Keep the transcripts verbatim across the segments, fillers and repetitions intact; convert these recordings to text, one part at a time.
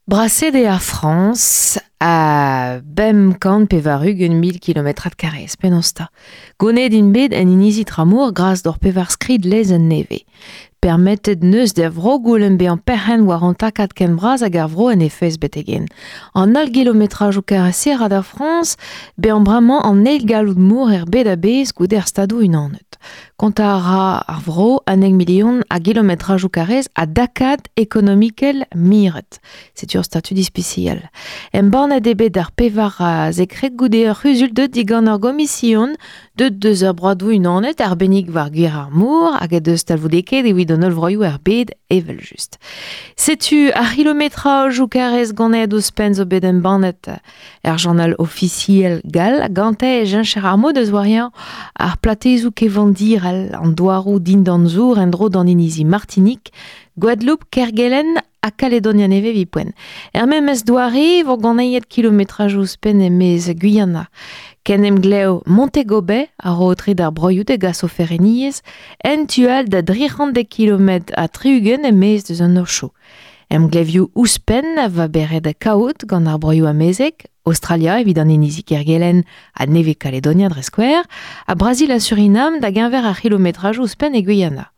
Braset eo ar Frañs a bemp kant pevar-ugent mil kilometrad karrez, penaos 'ta. Gonet int bet en inizi Tramour gras d'ur pevar skrid lezenn nevez. Permetet neus da vro goulenn bezañ perc'henn war an takad ken bras hag ar vro en he fezh betek-henn. An holl gilometrajoù karrez-se a ra da Frañs bezañ bremañ an eil galloud mor er bed a-bezh goude ar Stadoù-Unanet. Kontañ a ra ar vro unnek milion a gilometrajoù karrez a dakad ekonomikel miret. Setu ur statud ispisial. Embannet eo bet ar pevar a zekret goude ur c'huzul deuet digant ur gomision deuet deus ar broadoù unanet arbennik war gwir ar mor hag deus talvoudekaet evit an holl vroioù er bed evel-just. Setu ar c'hilometrajoù karrez ganet ouzhpenn zo bet embannet er journal ofisiel gall gante e cheñcher ar mod eus wariañ ar platezoù kevandirel an douaroù dindan zour en-dro d'an inizi Martinik, Gwadeloup, Kergelen ha Kaledonia nevez evit poent. Er memes doare vo ganeet kilometrajoù ouzhpenn e-maez Guyana. Ken emglev Montego Bay a ro aotre d'ar broioù da gas o fereniezh en tu all da dri c'hant dek kilometr ha tri-ugent e-maez deus an Ocho. Emglevioù ouzhpenn a va beret da kaout gant ar broioù amezek, Australia evit an inizi Kergelen ha nevez Kaledonia dre skouer, ha Brazil ha Surinam da geñver ar c'hilometrajoù ouzhpenn e Guyana.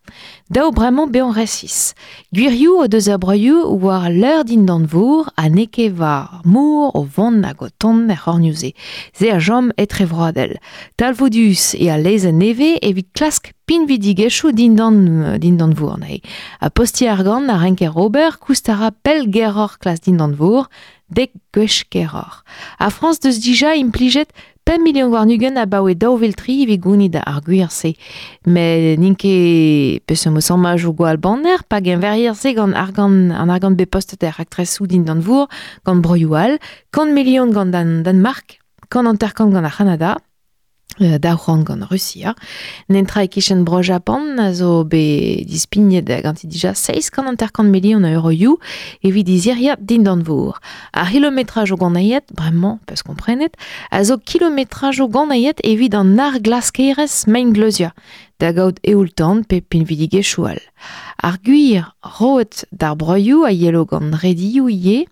Daou bremañ bezañ resis. Gwirioù o deus ar broioù war leur dindan vor ha n'eo ket war mor o vont hag o tont er c'hornioù-se. Se a chom etrevroadel. Talvoudus eo al lezenn nevez evit klask pinvidigezhioù dindan, dindan vor anezhe. Ha postiñ argant a renker ober koust a ra pell geroc'h klas dindan vor, dek gwech keroc'h. Ar Frañs deus dija implijet pemp milion warn-ugent abaoe daou vil tri evit gounit ar gwir-se. Met n'int ket peseurt mod sammajoù gwall banner, pa geñverier se gant argant, an argant bet postet er raktresoù dindan vor gant broioù all, kant milion gant an Danemark, kant hanter-kant gant ar C'hanada, daou c'hant gant Rusia. Nentra e-kichen bro Japan a zo bet dispignet ganti dija seizh kant hanter-kant milion a euroioù evit iziriad dindan vor. Ar c'hilometrajoù ganailhet, bremañ, peus komprenet, a zo kilometrajoù ganailhet evit an arglaskerezh maengleuzia, da gaout eoul-tan pe pinvidigezhioù all. Ar gwir roet d'ar broioù a yelo gant redioù ivez,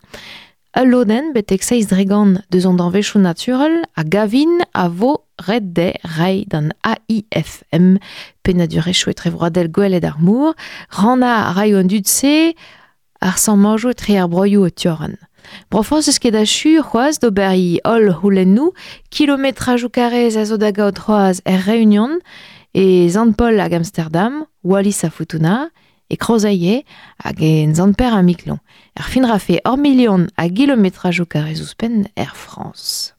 ul lodenn betek seizh dregant deus an danvezioù naturel a gavin a vo ret dezhe reiñ d'an A I F M, pennadurezhioù etrevroadel gwelet ar mor, rannañ a raio an dud-se ar sammajoù etre ar broioù o tiorren. Bro Frañs eus ket achu c'hoazh d'ober he holl c'houlennoù, kilometrajoù karrez a zo da gaout c'hoazh er Réunion, e Sant-Paul hag Amsterdam, Wallis ha Futuna, e Krozailhe hag en Sant-Pêr ha Miklon. Er fin rafe ur milion a gilometrajoù karrez ouzhpenn er Frañs.